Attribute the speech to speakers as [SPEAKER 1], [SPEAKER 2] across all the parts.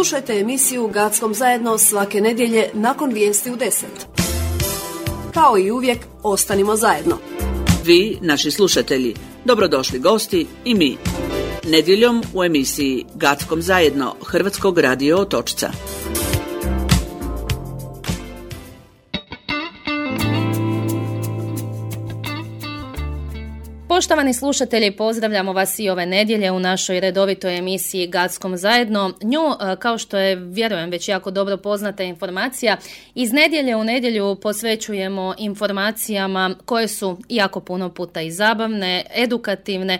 [SPEAKER 1] Slušajte emisiju Gackom zajedno svake nedjelje nakon vijesti u 10. Kao i uvijek, ostanimo zajedno.
[SPEAKER 2] Vi, naši slušatelji, dobrodošli gosti i mi. Nedjeljom u emisiji Gackom zajedno Hrvatskog radio Otočca.
[SPEAKER 3] Poštovani slušatelji, pozdravljamo vas i ove nedjelje u našoj redovitoj emisiji Gackom zajedno. Nju, kao što je, vjerujem, već jako dobro poznata informacija, iz nedjelje u nedjelju posvećujemo informacijama koje su jako puno puta i zabavne, edukativne,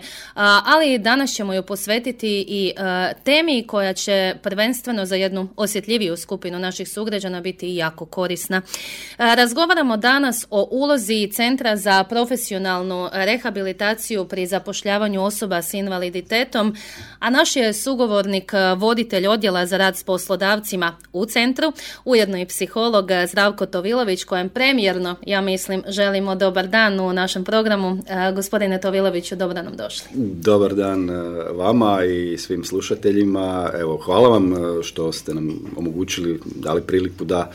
[SPEAKER 3] ali danas ćemo ju posvetiti i temi koja će prvenstveno za jednu osjetljiviju skupinu naših sugrađana biti jako korisna. Razgovaramo danas o ulozi Centra za profesionalnu rehabilitaciju pri zapošljavanju osoba s invaliditetom, a naš je sugovornik voditelj odjela za rad s poslodavcima u centru, ujedno i psiholog Zdravko Tovilović, kojem premijerno, ja mislim, želimo dobar dan u našem programu. Gospodine Toviloviću, dobro nam došli.
[SPEAKER 4] Dobar dan vama i svim slušateljima. Evo, hvala vam što ste nam omogućili, dali priliku da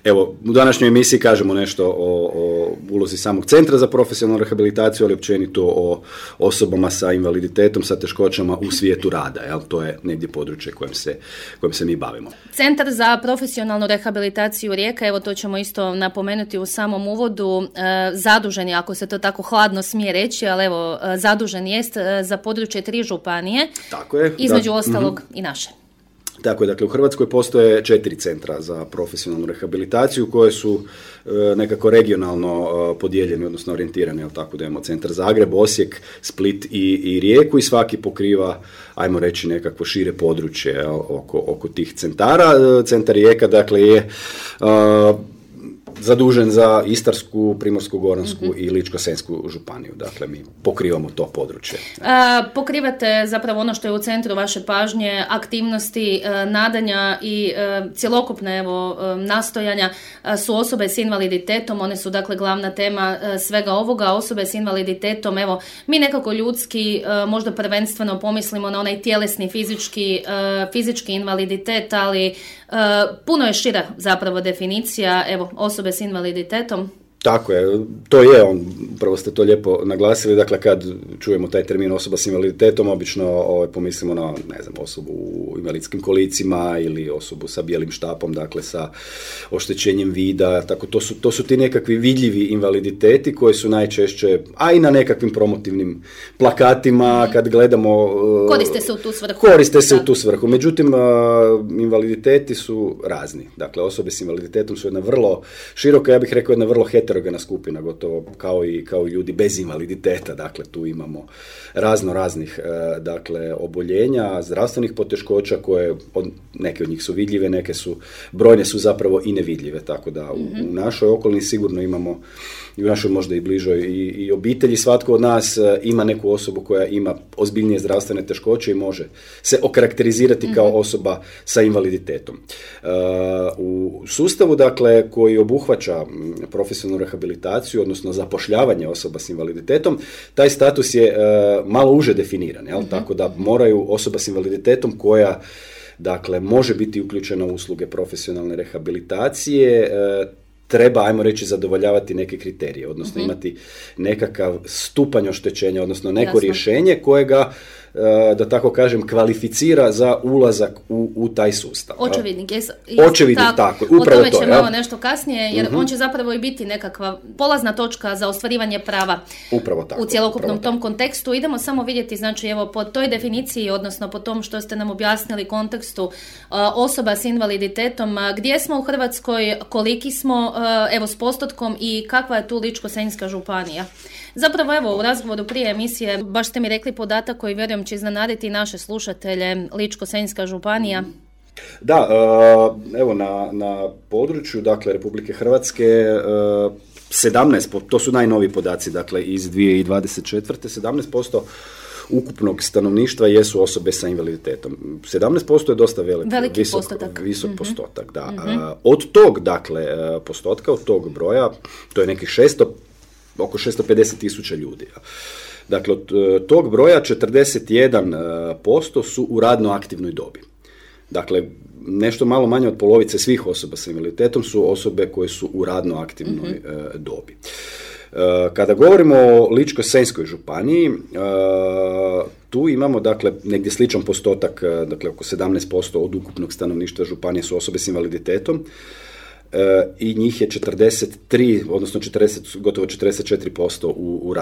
[SPEAKER 4] evo u današnjoj emisiji kažemo nešto o ulozi samog Centra za profesionalnu rehabilitaciju, ali općenito o osobama sa invaliditetom, sa teškoćama u svijetu rada. Jel? To je negdje područje kojim se mi bavimo.
[SPEAKER 3] Centar za profesionalnu rehabilitaciju Rijeka, evo to ćemo isto napomenuti u samom uvodu, zadužen je, ako se to tako hladno smije reći, ali evo, zadužen jest za područje 3 županije,
[SPEAKER 4] tako je,
[SPEAKER 3] između ostalog i naše.
[SPEAKER 4] Tako je, dakle u Hrvatskoj postoje 4 centra za profesionalnu rehabilitaciju koje su nekako regionalno podijeljeni, odnosno orijentirani, jel tako da imamo Centar Zagreb, Osijek, Split i Rijeku i svaki pokriva, ajmo reći, nekakvo šire područje, jel, oko tih centara. Centar Rijeka, dakle, je zadužen za Istarsku, Primorsko-goransku i Ličko-senjsku županiju. Dakle, mi pokrivamo to područje.
[SPEAKER 3] Pokrivate zapravo ono što je u centru vaše pažnje, aktivnosti, nadanja i cjelokupne nastojanja su osobe s invaliditetom. One su dakle glavna tema svega ovoga. Osobe s invaliditetom, evo, mi nekako ljudski možda prvenstveno pomislimo na onaj tjelesni fizički invaliditet, ali puno je šira zapravo definicija, evo, osobe s invaliditetom.
[SPEAKER 4] Tako je, to je upravo ste to lijepo naglasili, dakle kad čujemo taj termin osoba s invaliditetom, obično pomislimo na, ne znam, osobu u invalidskim kolicima ili osobu sa bijelim štapom, dakle sa oštećenjem vida, tako to su ti nekakvi vidljivi invaliditeti koji su najčešće, a i na nekakvim promotivnim plakatima, kad gledamo... Koriste se u tu svrhu. Međutim, invaliditeti su razni, dakle osobe s invaliditetom su jedna vrlo široka, ja bih rekao jedna vrlo heterogena skupina, gotovo kao i ljudi bez invaliditeta. Dakle, tu imamo raznih dakle, oboljenja, zdravstvenih poteškoća koje, neke od njih su vidljive, brojne su zapravo i nevidljive, tako da u našoj okolini sigurno imamo, i u našoj možda i bližoj i obitelji, svatko od nas ima neku osobu koja ima ozbiljnije zdravstvene teškoće i može se okarakterizirati kao osoba sa invaliditetom. U sustavu, dakle, koji obuhvaća profesionalnu rehabilitaciju, odnosno zapošljavanje osoba s invaliditetom, taj status je malo uže definiran, jel? Tako da moraju osoba s invaliditetom koja, dakle, može biti uključena u usluge profesionalne rehabilitacije, treba, ajmo reći, zadovoljavati neke kriterije, odnosno imati nekakav stupanj oštećenja, odnosno neko rješenje kojega, da tako kažem, kvalificira za ulazak u taj sustav.
[SPEAKER 3] Očevidnik,
[SPEAKER 4] tako, upravo to.
[SPEAKER 3] O tome ćemo malo nešto kasnije, jer on će zapravo i biti nekakva polazna točka za ostvarivanje prava u cjelokupnom tom kontekstu. Idemo samo vidjeti, znači, evo, po toj definiciji, odnosno po tom što ste nam objasnili kontekstu osoba s invaliditetom, gdje smo u Hrvatskoj, koliki smo, evo, s postotkom i kakva je tu Ličko-senjska županija. Zapravo, evo, u razgovoru prije emisije baš ste mi rekli podatak koji, vjerujem, će iznenaditi naše slušatelje, Ličko-senjska županija.
[SPEAKER 4] Da, evo, na području, dakle, Republike Hrvatske 17%, to su najnoviji podaci, dakle, iz 2024. 17% ukupnog stanovništva jesu osobe sa invaliditetom. 17% je dosta visok postotak. Da. Od tog, dakle, postotka, od tog broja, to je nekih oko 650,000 ljudi. Dakle, od tog broja 41% su u radno aktivnoj dobi. Dakle, nešto malo manje od polovice svih osoba s invaliditetom su osobe koje su u radno aktivnoj dobi. Kada govorimo o Ličko-senjskoj županiji, tu imamo dakle negdje sličan postotak, dakle oko 17% od ukupnog stanovništva županije su osobe s invaliditetom i njih je 43, odnosno gotovo 44% u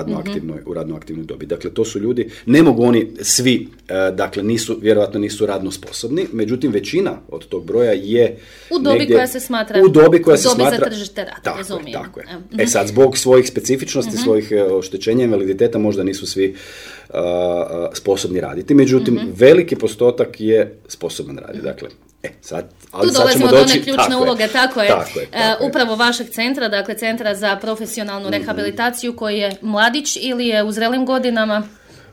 [SPEAKER 4] radno aktivnoj dobi. Dakle, to su ljudi, ne mogu oni svi, dakle, vjerojatno nisu radno sposobni, međutim, većina od tog broja je
[SPEAKER 3] u dobi negdje, koja se smatra,
[SPEAKER 4] u dobi koja se
[SPEAKER 3] dobi
[SPEAKER 4] smatra,
[SPEAKER 3] za tržište rada, razumijem.
[SPEAKER 4] Tako je. Sad, zbog svojih specifičnosti, svojih oštećenja invaliditeta, možda nisu svi sposobni raditi. Međutim, veliki postotak je sposoban raditi. Dakle,
[SPEAKER 3] tu dolazimo do one ključne uloge, tako je. Upravo vašeg centra, dakle Centra za profesionalnu rehabilitaciju, koji je mladić ili je u zrelim godinama?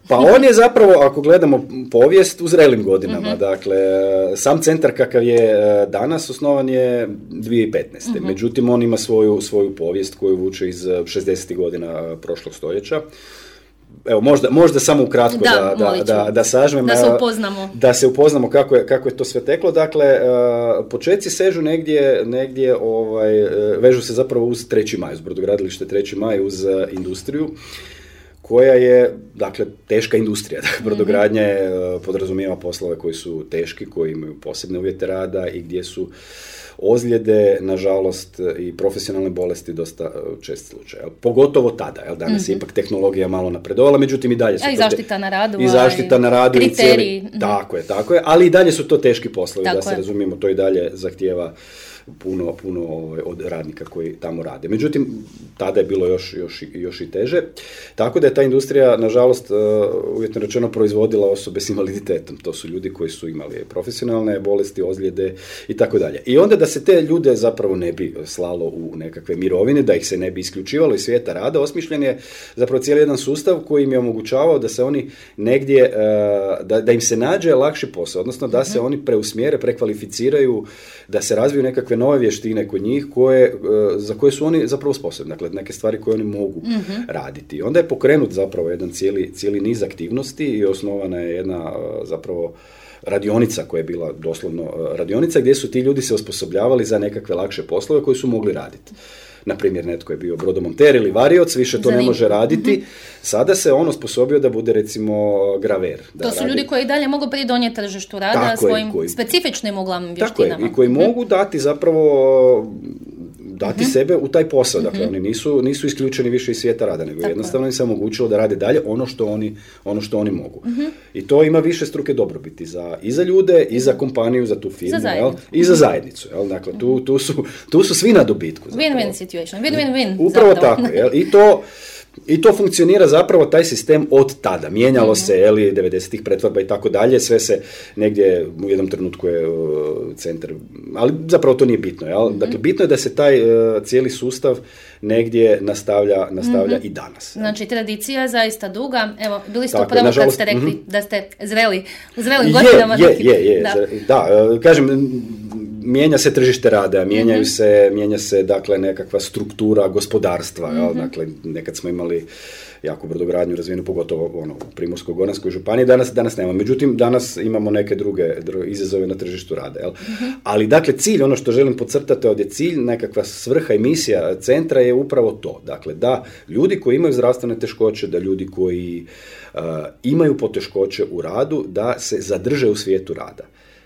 [SPEAKER 4] Pa on je zapravo, ako gledamo povijest, u zrelim godinama. Dakle, sam centar kakav je danas osnovan je 2015. Međutim, on ima svoju povijest koju vuče iz 60. godina prošlog stoljeća. Evo, možda samo ukratko da sažmem. Da se upoznamo kako je to sve teklo. Dakle, početci sežu negdje vežu se zapravo uz 3. maj, uz brodogradilište 3. maj, uz industriju, koja je, dakle, teška industrija. Dakle, brodogradnja podrazumijeva poslove koji su teški, koji imaju posebne uvjete rada i gdje su ozljede, nažalost, i profesionalne bolesti dosta čest slučaj. Pogotovo tada, danas je ipak tehnologija malo napredovala, međutim i dalje su
[SPEAKER 3] i zaštita na radu.
[SPEAKER 4] I zaštita na radu.
[SPEAKER 3] Kriteriji.
[SPEAKER 4] Tako je, ali i dalje su to teški poslovi, da se razumijemo, to i dalje zahtijeva puno od radnika koji tamo rade. Međutim, tada je bilo još i teže. Tako da je ta industrija, nažalost, uvjetno rečeno, proizvodila osobe s invaliditetom. To su ljudi koji su imali profesionalne bolesti, ozljede i tako dalje. I onda da se te ljude zapravo ne bi slalo u nekakve mirovine, da ih se ne bi isključivalo iz svijeta rada, osmišljen je zapravo cijeli jedan sustav koji im je omogućavao da se oni negdje, da im se nađe lakši posao, odnosno da se oni preusmjere, prekvalificiraju, da se razviju nekakve nove vještine kod njih za koje su oni zapravo sposobni, dakle neke stvari koje oni mogu raditi. Onda je pokrenut zapravo jedan cijeli niz aktivnosti i osnovana je jedna zapravo radionica koja je bila doslovno radionica gdje su ti ljudi se osposobljavali za nekakve lakše poslove koje su mogli raditi. Naprimjer, netko je bio brodomonter ili varioc, više to ne može raditi. Sada se on osposobio da bude, recimo, graver.
[SPEAKER 3] To su ljudi koji dalje mogu pridonijeti tržištu rada svojim specifičnim uglavnom vještinama.
[SPEAKER 4] Tako je, i koji mogu dati zapravo sebe u taj posao. Dakle, oni nisu isključeni više iz svijeta rada, nego jednostavno im se omogućilo da rade dalje ono što oni mogu. I to ima više struke dobrobiti i za ljude, i za kompaniju, za tu firmu, i za zajednicu. Dakle, tu su svi na dobitku.
[SPEAKER 3] Win-win situation, win-win-win.
[SPEAKER 4] Upravo tako, I to funkcionira zapravo taj sistem od tada. Mijenjalo se, 90-ih pretvorba i tako dalje, sve se negdje u jednom trenutku je centar, ali zapravo to nije bitno. Dakle, bitno je da se taj cijeli sustav negdje nastavlja i danas.
[SPEAKER 3] Znači, tradicija je zaista duga. Evo, bili ste upravo kad ste rekli da ste zreli, u zrelim godinama.
[SPEAKER 4] Da, kažem, mijenja se tržište rada, mijenja se dakle nekakva struktura gospodarstva, dakle nekad smo imali jako brodogradnju razvijenu, pogotovo u Primorsko-goranskoj županiji, danas nema. Međutim, danas imamo neke druge izazove na tržištu rada. Ali dakle cilj, ono što želim podcrtati ovdje, cilj, nekakva svrha i misija centra je upravo to. Dakle, da ljudi koji imaju zdravstvene teškoće, da ljudi koji imaju poteškoće u radu, da se zadrže u svijetu rada.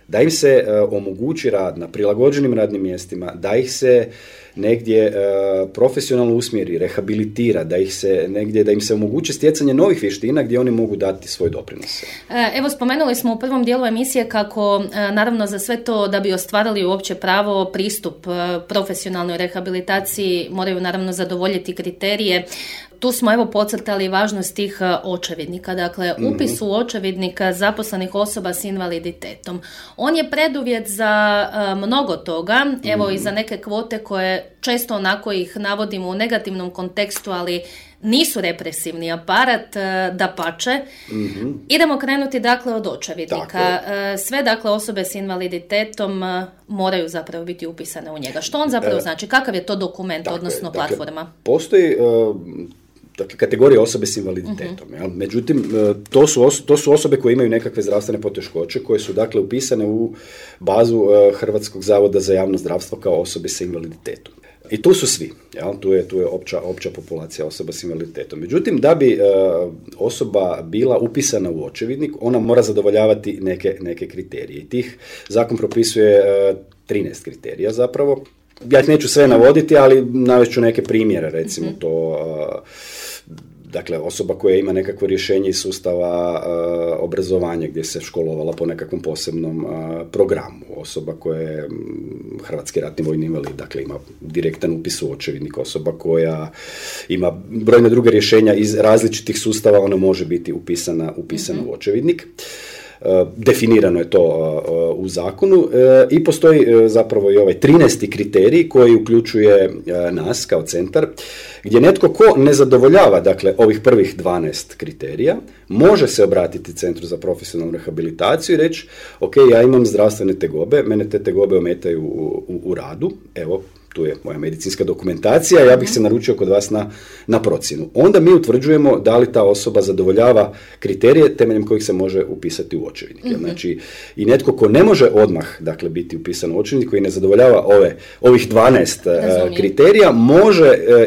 [SPEAKER 4] Da im se omogući rad na prilagođenim radnim mjestima, da ih se negdje profesionalno usmjeri, rehabilitira, da im se omogući stjecanje novih vještina gdje oni mogu dati svoj doprinos.
[SPEAKER 3] Evo, spomenuli smo u prvom dijelu emisije kako, naravno, za sve to da bi ostvarili uopće pravo pristup profesionalnoj rehabilitaciji moraju naravno zadovoljiti kriterije. Tu smo evo podcrtali važnost tih očevidnika, dakle upis u očevidnika zaposlenih osoba s invaliditetom. On je preduvjet za mnogo toga, evo i za neke kvote koje često onako ih navodimo u negativnom kontekstu, ali nisu represivni aparat, dapače. Idemo krenuti dakle od očevidnika. Sve dakle osobe s invaliditetom moraju zapravo biti upisane u njega. Što on zapravo znači? Kakav je to dokument, odnosno platforma?
[SPEAKER 4] Postoji dakle, kategorija osobe s invaliditetom. Uh-huh. Međutim, to su osobe koje imaju nekakve zdravstvene poteškoće, koje su dakle upisane u bazu Hrvatskog zavoda za javno zdravstvo kao osobe sa invaliditetom. I tu su svi, tu je opća populacija osoba s invaliditetom. Međutim, da bi osoba bila upisana u očevidnik, ona mora zadovoljavati neke kriterije. I tih zakon propisuje 13 kriterija zapravo. Ja ih neću sve navoditi, ali navest ću neke primjere, recimo to, dakle, osoba koja ima nekakvo rješenje iz sustava obrazovanja gdje se školovala po nekakvom posebnom programu, osoba koja je hrvatski ratni vojni invalid, dakle ima direktan upis u očevidnik, osoba koja ima brojne druge rješenja iz različitih sustava, ona može biti upisana u očevidnik. Definirano je to u zakonu i postoji zapravo i ovaj 13. kriterij koji uključuje nas kao centar, gdje netko ko ne zadovoljava, dakle, ovih prvih 12 kriterija, može se obratiti Centru za profesionalnu rehabilitaciju i reći, ok, ja imam zdravstvene tegobe, mene te tegobe ometaju u radu, evo, tu je moja medicinska dokumentacija, ja bih se naručio kod vas na procjenu. Onda mi utvrđujemo da li ta osoba zadovoljava kriterije temeljem kojih se može upisati u očevidnik. Znači, i netko ko ne može odmah, dakle, biti upisan u očevidnik, koji ne zadovoljava ovih 12 kriterija,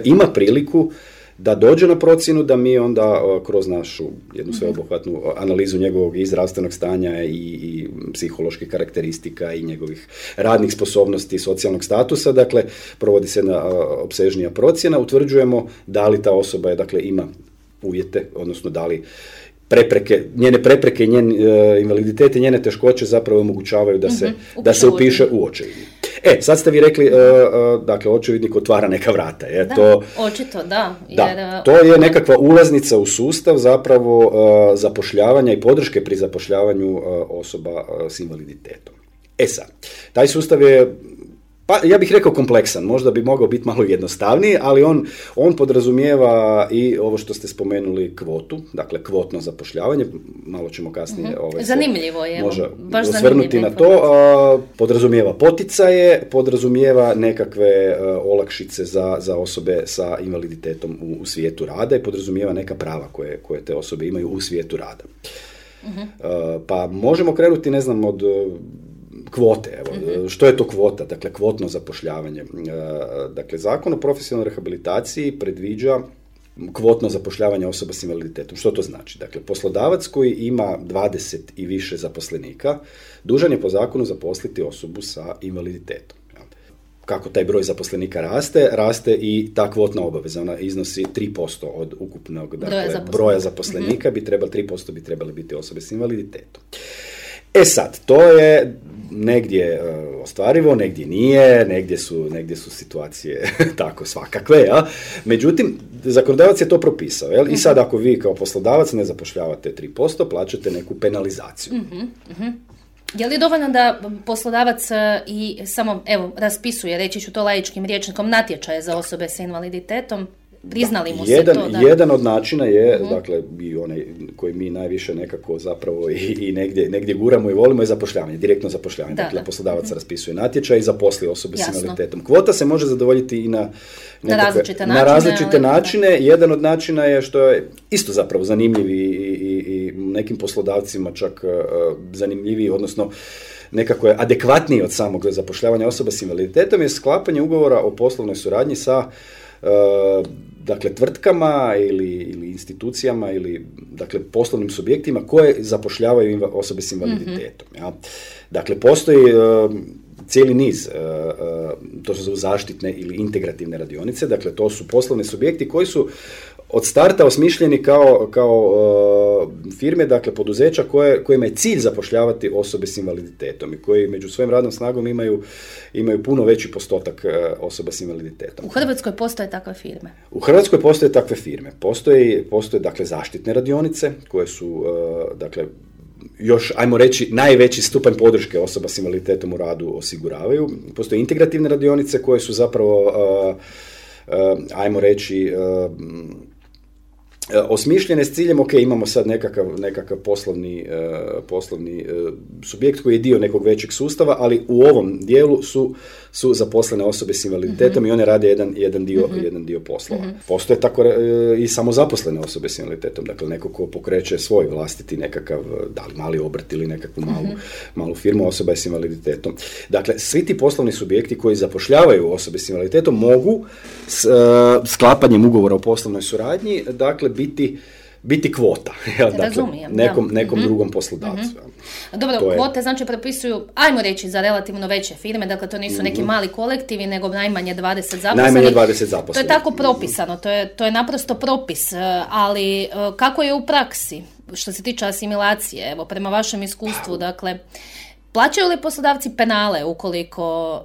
[SPEAKER 4] ima priliku da dođe na procjenu, da mi onda kroz našu jednu sveobuhvatnu analizu njegovog i zdravstvenog stanja i psiholoških karakteristika i njegovih radnih sposobnosti, socijalnog statusa, dakle, provodi se jedna opsežnija procjena, utvrđujemo da li ta osoba dakle, ima uvjete, odnosno da li njene prepreke, njen invaliditet i njene teškoće zapravo omogućavaju da se upiše u očevidnik. Sad ste vi rekli, dakle, očevidnik otvara neka vrata.
[SPEAKER 3] Očito, da.
[SPEAKER 4] Jer, to je nekakva ulaznica u sustav zapravo zapošljavanja i podrške pri zapošljavanju osoba s invaliditetom. Sad, taj sustav je, pa ja bih rekao kompleksan, možda bi mogao biti malo jednostavniji, ali on podrazumijeva i ovo što ste spomenuli kvotu, dakle kvotno zapošljavanje, malo ćemo kasnije
[SPEAKER 3] zanimljivo je, baš
[SPEAKER 4] osvrnuti na to, podrazumijeva poticaje, podrazumijeva nekakve olakšice za osobe sa invaliditetom u svijetu rada i podrazumijeva neka prava koje te osobe imaju u svijetu rada. Pa možemo krenuti, ne znam, od kvote. Evo. Što je to kvota? Dakle, kvotno zapošljavanje. Dakle, Zakon o profesionalnoj rehabilitaciji predviđa kvotno zapošljavanje osoba s invaliditetom. Što to znači? Dakle, poslodavac koji ima 20 i više zaposlenika dužan je po zakonu zaposliti osobu sa invaliditetom. Kako taj broj zaposlenika raste i ta kvotna obaveza, ona iznosi 3% od ukupnog broja zaposlenika, 3% bi trebali biti osobe s invaliditetom. Sad, to je negdje ostvarivo, negdje nije, negdje su situacije tako svakakve, ja? Međutim, zakonodavac je to propisao, jel? I sad ako vi kao poslodavac ne zapošljavate 3%, plaćate neku penalizaciju.
[SPEAKER 3] Je li dovoljno da poslodavac i samo, raspisuje, reći ću to laičkim rječnikom, natječaje za osobe sa invaliditetom? Priznali mu se to?
[SPEAKER 4] Jedan od načina je, dakle, i onaj koji mi najviše nekako zapravo i negdje guramo i volimo je zapošljavanje, direktno zapošljavanje. Dakle, poslodavac raspisuje natječaj i zaposli osobe s invaliditetom. Kvota se može zadovoljiti i na različite načine. Jedan od načina je, što je isto zapravo zanimljiv i nekim poslodavcima čak zanimljiviji, odnosno nekako je adekvatniji od samog zapošljavanja osoba s invaliditetom, je sklapanje ugovora o poslovnoj suradnji sa dakle, tvrtkama ili institucijama ili, dakle, poslovnim subjektima koje zapošljavaju osobe s invaliditetom. Ja? Dakle, postoji cijeli niz, to su zaštitne ili integrativne radionice, dakle, to su poslovni subjekti koji su od starta osmišljeni kao firme, dakle poduzeća kojima je cilj zapošljavati osobe s invaliditetom i koji među svojim radnom snagom imaju puno veći postotak osoba s invaliditetom.
[SPEAKER 3] U Hrvatskoj postoje takve firme?
[SPEAKER 4] U Hrvatskoj postoje takve firme. Postoje dakle zaštitne radionice koje su dakle još, ajmo reći, najveći stupanj podrške osoba s invaliditetom u radu osiguravaju. Postoje integrativne radionice koje su zapravo ajmo reći osmišljene s ciljem, ok, imamo sad nekakav poslovni subjekt koji je dio nekog većeg sustava, ali u ovom dijelu su zaposlene osobe s invaliditetom i one rade jedan dio poslova. Postoje tako i samozaposlene osobe s invaliditetom, dakle neko ko pokreće svoj vlastiti nekakav, da li mali obrt ili nekakvu malu firmu, osoba je s invaliditetom. Dakle, svi ti poslovni subjekti koji zapošljavaju osobe s invaliditetom mogu sklapanjem ugovora o poslovnoj suradnji, dakle, biti kvota, dakle, nekom drugom poslodavcu.
[SPEAKER 3] Dobro, kvote znači propisuju, ajmo reći, za relativno veće firme, dakle to nisu neki mali kolektivi, nego najmanje 20 zaposlenih. To je tako propisano, to je naprosto propis, ali kako je u praksi, što se tiče asimilacije, evo, prema vašem iskustvu, dakle, plaćaju li poslodavci penale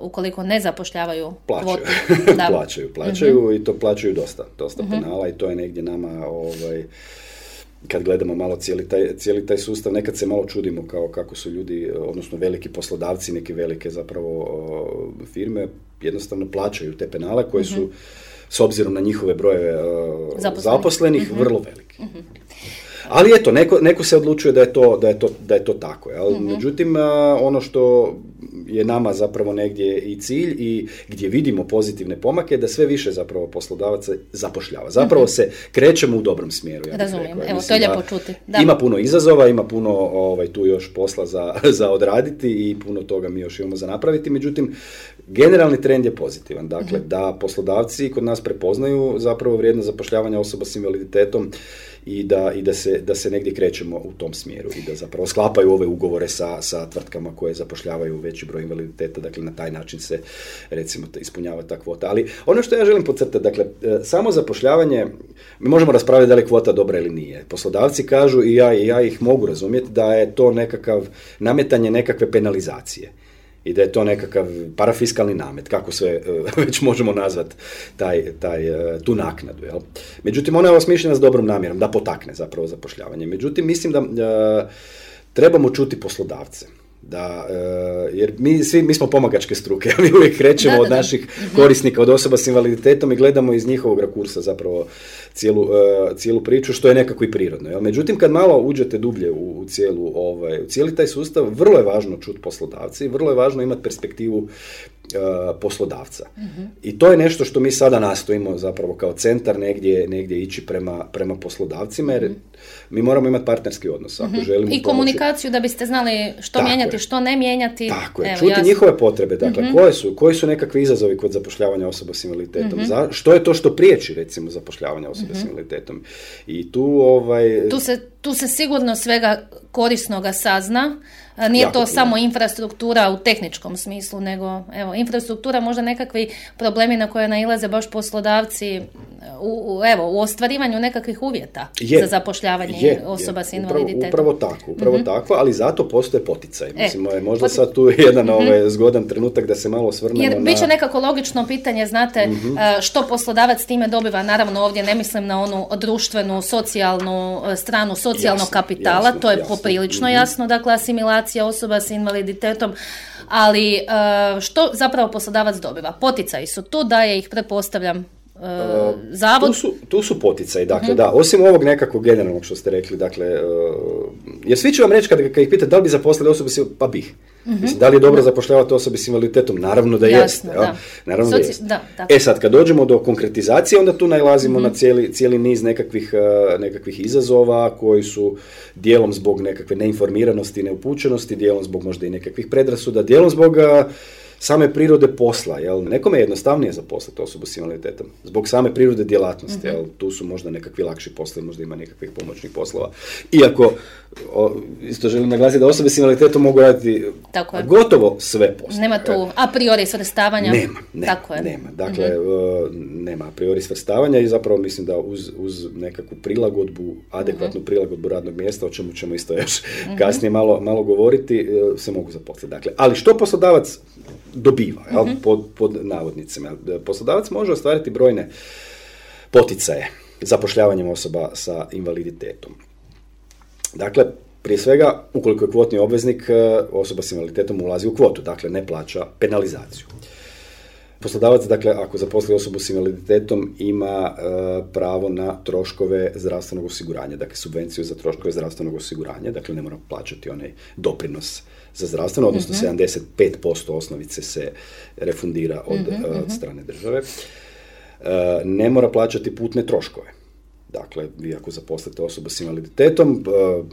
[SPEAKER 3] ukoliko ne zapošljavaju kvotu?
[SPEAKER 4] Plaćaju i to plaćaju dosta penala i to je negdje nama, kad gledamo malo cijeli taj sustav, nekad se malo čudimo kako su ljudi, odnosno veliki poslodavci, neke velike zapravo firme, jednostavno plaćaju te penale koje su, s obzirom na njihove brojeve zaposlenih, vrlo veliki. Ali eto, neko se odlučuje da je to tako. Međutim, ono što je nama zapravo negdje i cilj i gdje vidimo pozitivne pomake, da sve više zapravo poslodavaca zapošljava. Zapravo se krećemo u dobrom smjeru. Ja
[SPEAKER 3] razumijem, evo, to je lijepo čuti. Da.
[SPEAKER 4] Ima puno izazova, ima puno tu još posla za odraditi i puno toga mi još imamo za napraviti, međutim, generalni trend je pozitivan. Dakle, da poslodavci kod nas prepoznaju zapravo vrijednost zapošljavanja osoba s invaliditetom i da se negdje krećemo u tom smjeru i da zapravo sklapaju ove ugovore sa tvrtkama koje zapošljavaju veći broj invaliditeta, dakle na taj način se recimo ispunjava ta kvota. Ali ono što ja želim podcrtati, dakle, samo zapošljavanje, mi možemo raspraviti da li je kvota dobra ili nije. Poslodavci kažu i ja ih mogu razumjeti da je to nekakav nametanje nekakve penalizacije i da je to nekakav parafiskalni namet, kako sve već možemo nazvati tu naknadu. Jel? Međutim, ona je osmišljena s dobrom namjerom, da potakne zapravo zapošljavanje. Međutim, mislim da trebamo čuti poslodavce. Jer mi smo pomagačke struke, mi uvijek krećemo od naših korisnika, od osoba s invaliditetom i gledamo iz njihovog rakursa zapravo cijelu priču, što je nekako i prirodno. Jel? Međutim, kad malo uđete dublje u cijeli taj sustav, vrlo je važno čuti poslodavci, vrlo je važno imati perspektivu poslodavca. I to je nešto što mi sada nastojimo zapravo kao centar negdje ići prema poslodavcima, jer mi moramo imati partnerski odnos. Ako želimo
[SPEAKER 3] i komunikaciju da biste znali što mijenjati, što ne mijenjati.
[SPEAKER 4] Tako je, čuti njihove potrebe. Dakle, koji su nekakvi izazovi kod zapošljavanja osoba s invaliditetom? Što je to što priječi, recimo, zapošljavanje osoba s invaliditetom? I
[SPEAKER 3] tu se sigurno svega korisnoga sazna. Nije to samo infrastruktura u tehničkom smislu, nego infrastruktura, možda nekakvi problemi na koje nailaze baš poslodavci u ostvarivanju nekakvih uvjeta za zapošljavanje osoba s invaliditetom.
[SPEAKER 4] Upravo tako, ali zato postoje poticaj. Mislim, možda sad tu je jedan zgodan trenutak da se malo osvrnemo.
[SPEAKER 3] Jer bit će nekako logično pitanje, znate, što poslodavac time dobiva. Naravno, ovdje ne mislim na onu društvenu, socijalnu stranu socijalnog kapitala, to je poprilično jasno, dakle, asimilacija osoba s invaliditetom, ali što zapravo poslodavac dobiva? Poticaji su tu, daje ih, pretpostavljam, zavod.
[SPEAKER 4] Tu su poticaji, dakle, da, osim ovog nekakvog generalnog što ste rekli, dakle, jer svi će vam reći kad ih pitate da li bi zaposlili osobe s pa bih. Mislim, da li je dobro zapošljavati osobe s invaliditetom? Naravno da jeste. Naravno da jeste. Sad, kad dođemo do konkretizacije, onda tu nailazimo na cijeli niz nekakvih izazova koji su dijelom zbog nekakve neinformiranosti, neupućenosti, dijelom zbog možda i nekakvih predrasuda, dijelom zbog same prirode posla. Jel? Nekome je jednostavnije zaposliti osobu s invaliditetom. Zbog same prirode djelatnosti. Jel? Tu su možda nekakvi lakši poslovi, možda ima nekakvih pomoćnih poslova. Iako, isto želim naglasiti da osobe s invaliditetom mogu raditi gotovo sve poslove.
[SPEAKER 3] Nema tu a priori svrstavanja?
[SPEAKER 4] Nema. Dakle, nema a priori svrstavanja i zapravo mislim da uz nekakvu prilagodbu, adekvatnu prilagodbu radnog mjesta, o čemu ćemo isto još kasnije malo govoriti, se mogu zaposliti. Dakle, ali što poslodavac dobiva, pod navodnicima? Poslodavac može ostvariti brojne poticaje zapošljavanjem osoba sa invaliditetom. Dakle, prije svega, ukoliko je kvotni obveznik, osoba s invaliditetom ulazi u kvotu, dakle ne plaća penalizaciju. Poslodavac, dakle, ako zaposli osobu s invaliditetom, ima pravo na troškove zdravstvenog osiguranja, dakle, subvenciju za troškove zdravstvenog osiguranja, dakle, ne mora plaćati onaj doprinos za zdravstveno, odnosno 75% osnovice se refundira od strane države. Ne mora plaćati putne troškove. Dakle, vi ako zaposlite osobu s invaliditetom,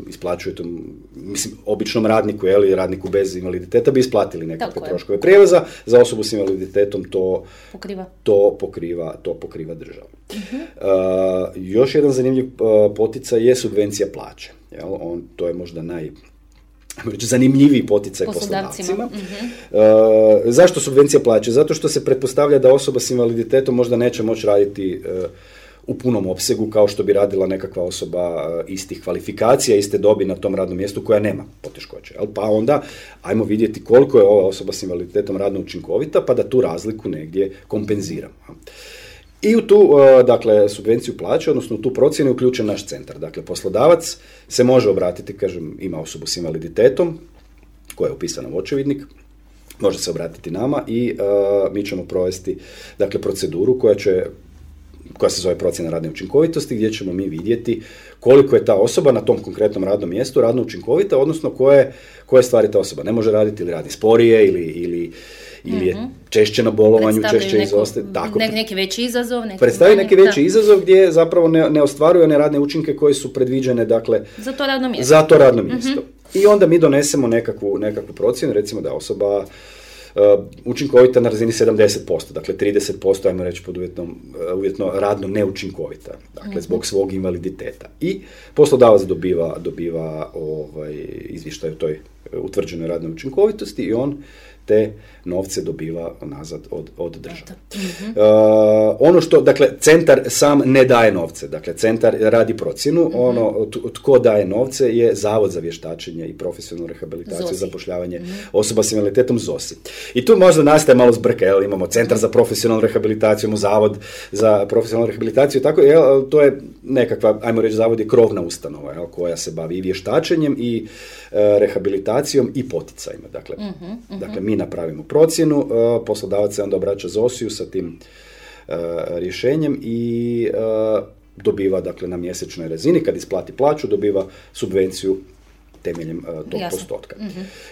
[SPEAKER 4] isplaćujete, mislim, običnom radniku, radniku bez invaliditeta bi isplatili nekakve troškove prijevoza, za osobu s invaliditetom to pokriva država. Još jedan zanimljiv poticaj je subvencija plaće. To je možda zanimljiviji poticaj poslodavcima. Zašto subvencija plaće? Zato što se pretpostavlja da osoba s invaliditetom možda neće moći raditi u punom opsegu kao što bi radila nekakva osoba istih kvalifikacija, iste dobi na tom radnom mjestu koja nema poteškoće. Pa onda ajmo vidjeti koliko je ova osoba s invaliditetom radno učinkovita, pa da tu razliku negdje kompenziramo. I u tu, dakle, subvenciju plaće, odnosno u tu procjenu je uključen naš centar. Dakle, poslodavac se može obratiti, kažem, ima osobu s invaliditetom koja je upisana u očevidnik, može se obratiti nama i mi ćemo provesti, dakle, proceduru koja se zove procjena radne učinkovitosti, gdje ćemo mi vidjeti koliko je ta osoba na tom konkretnom radnom mjestu radno učinkovita, odnosno koje stvari ta osoba ne može raditi, ili radi sporije, ili je češće na bolovanju, češće izostaje.
[SPEAKER 3] Neki veći izazov.
[SPEAKER 4] Predstavi neki veći izazov gdje zapravo ne ostvaruje one radne učinke koje su predviđene, dakle, za to radno mjesto. I onda mi donesemo nekakvu procjenu, recimo da je osoba učinkovita na razini 70%, dakle 30%, ajmo reći pod uvjetno radno neučinkovita, dakle zbog svog invaliditeta. I poslodavac dobiva izvještaj o toj utvrđenoj radnoj učinkovitosti i on te novce dobiva nazad od države. Ono što, dakle, centar sam ne daje novce, dakle, centar radi procjenu, tko daje novce je Zavod za vještačenje i profesionalnu rehabilitaciju i zapošljavanje osoba s invaliditetom, ZOSI. I tu možda nastaje malo zbrka, imamo centar za profesionalnu rehabilitaciju, imamo Zavod za profesionalnu rehabilitaciju, tako, to je nekakva, ajmo reći, Zavod je krovna ustanova, koja se bavi i vještačenjem i rehabilitacijom i poticajima. Dakle, mi napravimo procjenu, poslodavac se onda obraća ZOSI-u sa tim rješenjem i dobiva, dakle, na mjesečnoj razini, kad isplati plaću, dobiva subvenciju temeljem tog postotka.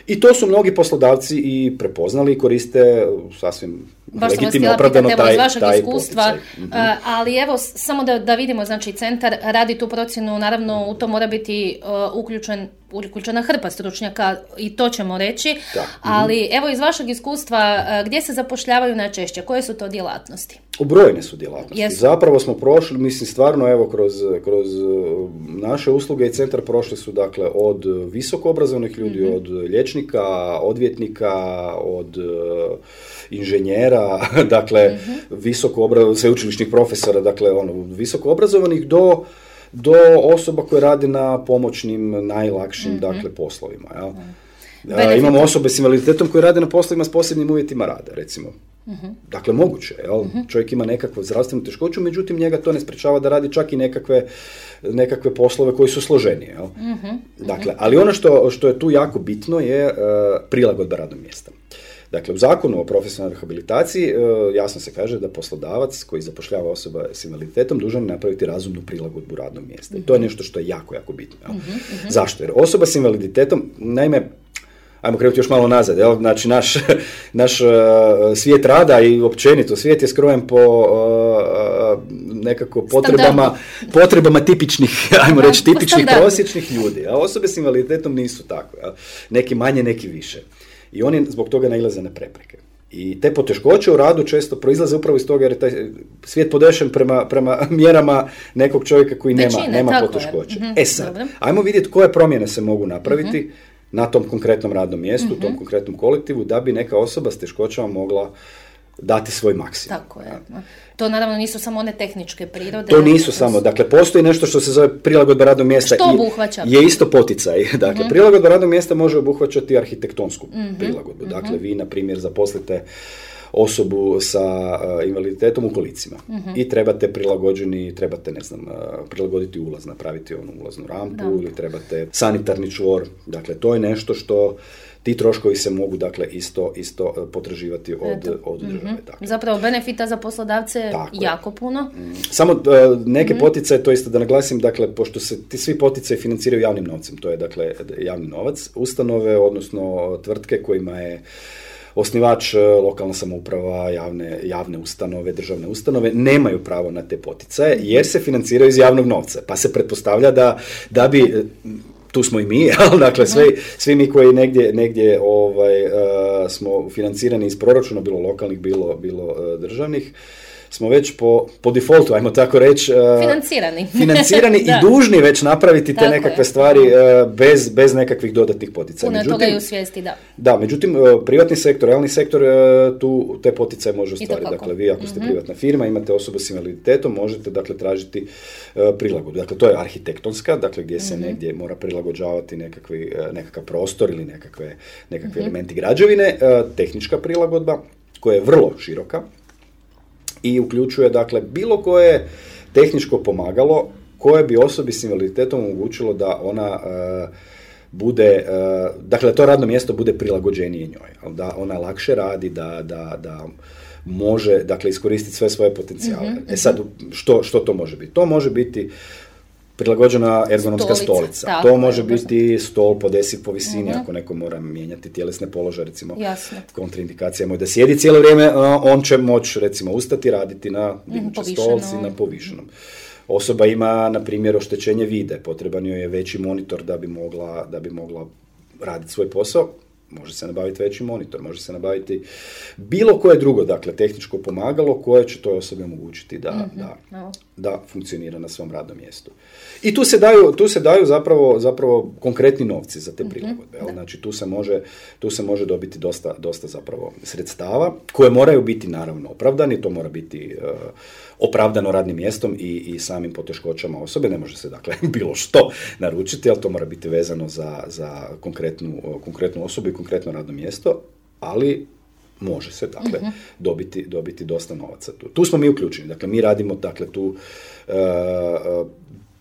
[SPEAKER 4] I to su mnogi poslodavci i prepoznali i koriste sasvim legitimno opravdano taj
[SPEAKER 3] iskustva, ali evo, samo da vidimo, znači, centar radi tu procjenu, naravno u to mora biti uključena hrpa stručnjaka i to ćemo reći, ali evo iz vašeg iskustva, gdje se zapošljavaju najčešće, koje su to djelatnosti?
[SPEAKER 4] Brojne su djelatnosti. Yes. Zapravo smo prošli, mislim, stvarno, evo, kroz naše usluge i centar prošli su, dakle, od visoko obrazovnih ljudi, od liječnika, odvjetnika, od inženjera, dakle, sveučilišnih profesora, dakle, visoko obrazovanih do osoba koje rade na pomoćnim, najlakšim, dakle, poslovima. Imamo osobe s invaliditetom koje rade na poslovima s posebnim uvjetima rada, recimo. Dakle, moguće, čovjek ima nekakvu zdravstvenu teškoću, međutim, njega to ne sprečava da radi čak i nekakve poslove koji su složenije. Dakle, ali ono što je tu jako bitno je prilagodba radnog mjesta. Dakle, u zakonu o profesionalnoj rehabilitaciji jasno se kaže da poslodavac koji zapošljava osoba s invaliditetom dužan je napraviti razumnu prilagodbu radnog mjesta. I to je nešto što je jako, jako bitno. Zašto? Jer osoba s invaliditetom, naime, ajmo krenuti još malo nazad, znači naš svijet rada i općenito svijet je skrojen po nekako potrebama tipičnih, ajmo reći, tipičnih prosječnih ljudi. A osobe s invaliditetom nisu tako. Neki manje, neki više. I oni zbog toga nailaze na prepreke. I te poteškoće u radu često proizlaze upravo iz toga jer je taj svijet podešen prema mjerama nekog čovjeka koji nema poteškoće. Sad, ajmo vidjeti koje promjene se mogu napraviti na tom konkretnom radnom mjestu, u tom konkretnom kolektivu, da bi neka osoba s teškoćama mogla dati svoj maksimum.
[SPEAKER 3] Tako je. To naravno nisu samo one tehničke prirode.
[SPEAKER 4] To nisu samo. Dakle, postoji nešto što se zove prilagodba radnog mjesta.
[SPEAKER 3] Što obuhvaća?
[SPEAKER 4] Je isto poticaj. Dakle, prilagodba radnog mjesta može obuhvaćati arhitektonsku prilagodbu. Dakle, vi, na primjer, zaposlite osobu sa invaliditetom u kolicima. I trebate prilagoditi ulaz, napraviti onu ulaznu rampu ili trebate sanitarni čvor. Dakle, to je nešto što ti troškovi se mogu, dakle, isto potraživati od države. Dakle.
[SPEAKER 3] Zapravo, benefita za poslodavce je jako puno.
[SPEAKER 4] Samo neke poticaje, to isto da naglasim, dakle, pošto se ti svi poticaji financiraju javnim novcem, to je, dakle, javni novac, ustanove, odnosno tvrtke kojima je osnivač lokalna samouprava, javne ustanove, državne ustanove, nemaju pravo na te poticaje, jer se financiraju iz javnog novca. Pa se pretpostavlja da bi... Tu smo i mi, dakle, svi mi koji negdje smo financirani iz proračuna, bilo lokalnih, bilo državnih, smo već po defaultu, ajmo tako reći, financirani i dužni već napraviti te nekakve stvari bez nekakvih dodatnih poticaja.
[SPEAKER 3] Puno toga i u svijesti, da.
[SPEAKER 4] Da, međutim, privatni sektor, realni sektor, tu te poticaje može ostvariti. Dakle, vi ako ste privatna firma, imate osobu s invaliditetom, možete, dakle, tražiti prilagodbu. Dakle, to je arhitektonska, dakle, gdje se negdje mora prilagođavati nekakav prostor ili nekakve elementi građevine, tehnička prilagodba, koja je vrlo široka, i uključuje, dakle, bilo koje tehničko pomagalo koje bi osobi s invaliditetom omogućilo da ona bude, dakle, to radno mjesto bude prilagođenije njoj, da ona lakše radi, da može, dakle, iskoristiti sve svoje potencijale. Sad, što to može biti? To može biti prilagođena ergonomska stolica. To može biti stol podesiv po visini, ako neko mora mijenjati tjelesne položaje, recimo. Kontraindikacija je da sjedi cijelo vrijeme, on će moći, recimo, ustati, raditi na dignućoj stolci, na povišenom. Osoba ima, na primjer, oštećenje vide, potreban joj je veći monitor da bi mogla raditi svoj posao. Može se nabaviti veći monitor, može se nabaviti bilo koje drugo, dakle, tehničko pomagalo koje će toj osobi omogućiti da funkcionira na svom radnom mjestu. I tu se daju zapravo konkretni novci za te prilagodbe. Znači, tu se može dobiti dosta zapravo sredstava koje moraju biti, naravno, opravdani. To mora biti opravdano radnim mjestom i samim poteškoćama osobe. Ne može se, dakle, bilo što naručiti, ali to mora biti vezano za konkretnu osobu i konkretno radno mjesto, ali može se, dakle, dobiti dosta novaca. Tu smo mi uključeni. Dakle, mi radimo, dakle, tu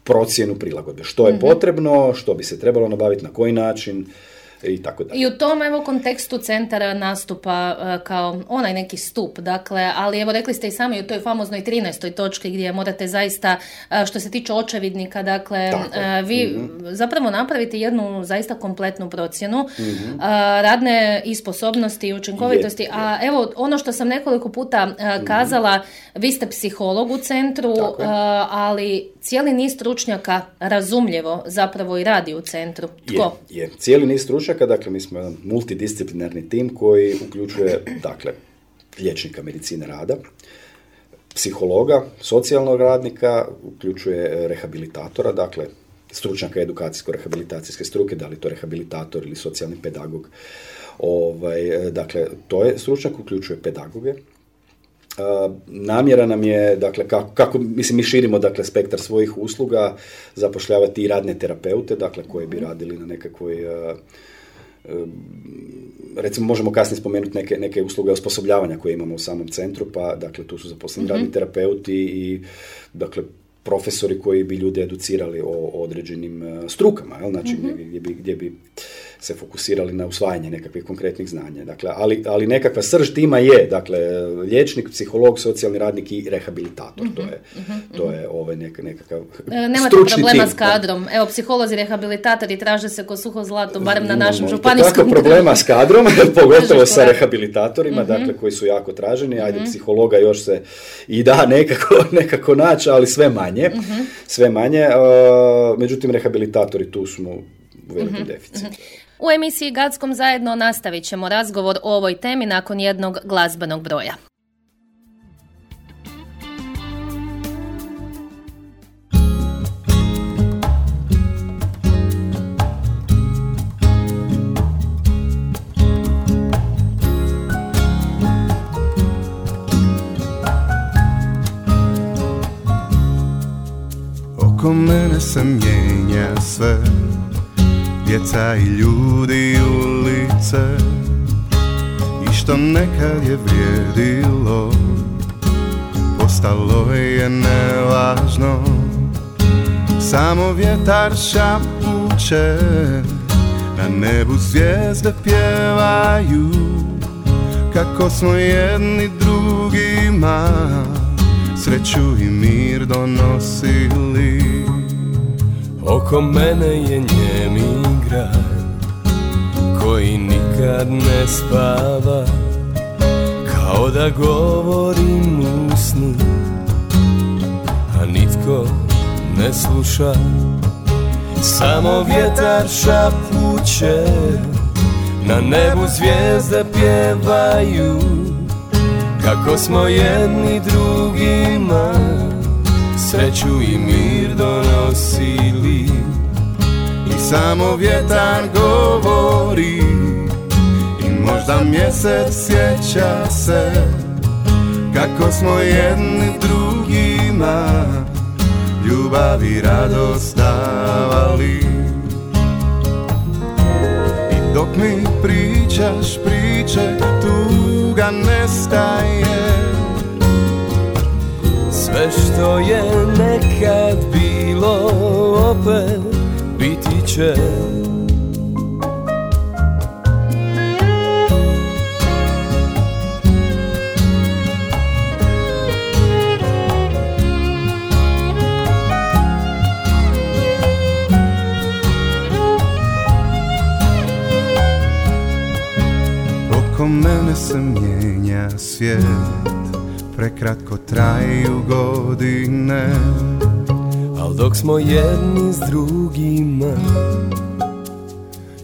[SPEAKER 4] procjenu prilagodbe. Što je potrebno, što bi se trebalo nabaviti, na koji način, i tako dalje.
[SPEAKER 3] I u tom, kontekstu centara nastupa kao onaj neki stup, dakle, ali evo rekli ste i sami u toj famoznoj 13. točki gdje morate zaista, što se tiče očevidnika, dakle, vi zapravo napravite jednu zaista kompletnu procjenu radne i sposobnosti i učinkovitosti, a evo, ono što sam nekoliko puta kazala, vi ste psiholog u centru, ali cijeli niz stručnjaka razumljivo zapravo i radi u centru. Tko?
[SPEAKER 4] Je. Cijeli niz stručnjaka, dakle, mi smo jedan multidisciplinarni tim koji uključuje, dakle, liječnika medicine rada, psihologa, socijalnog radnika, uključuje rehabilitatora, dakle, stručnjaka edukacijsko-rehabilitacijske struke, da li to rehabilitator ili socijalni pedagog. Dakle, to je stručnjak, uključuje pedagoge. Namjera nam je, dakle, mi širimo, dakle, spektar svojih usluga, zapošljavati i radne terapeute, dakle, koji bi radili na nekakvoj, recimo, možemo kasnije spomenuti neke usluge osposobljavanja koje imamo u samom centru, pa, dakle, tu su zaposleni radni terapeuti i, dakle, profesori koji bi ljude educirali o određenim strukama, znači gdje bi se fokusirali na usvajanje nekakvih konkretnih znanja. Dakle, ali nekakva srž tima je, dakle, liječnik, psiholog, socijalni radnik i rehabilitator. To je nekakav
[SPEAKER 3] nemate problema s kadrom. Evo, psiholozi, rehabilitatori traže se ko suho zlato, barem na našem županijskom.
[SPEAKER 4] Tako problema s kadrom, pogotovo sa rehabilitatorima, dakle, koji su jako traženi. Ajde, psihologa još se i da nekako naći, ali sve manje. Međutim, rehabilitatori tu smo u velikom deficitu.
[SPEAKER 3] U emisiji Gadskom zajedno nastavit ćemo razgovor o ovoj temi nakon jednog glazbenog broja.
[SPEAKER 5] Oko mene se mijenja sve, djeca i ljudi, ulice i što nekad je vrijedilo, postalo je nevažno. Samo vjetar šapuće, na nebu zvijezde pjevaju, kako smo jedni drugima sreću i mir donosili.
[SPEAKER 6] Oko mene je njemi grad koji nikad ne spava, kao da govorim u snu, a nitko ne sluša. Samo vjetar šapuće, na nebu zvijezde pjevaju, kako smo jedni drugima sreću i mir donosili.
[SPEAKER 5] I samo vjetar govori i možda mjesec sjeća se, kako smo jedni drugima ljubav i radost davali. I dok mi pričaš priče, tuga nestaje.
[SPEAKER 6] Sve što je nekad bilo opet biti će.
[SPEAKER 5] Oko mene se mijenja svijet, prekratko traju godine,
[SPEAKER 6] al dok smo jedni s drugima,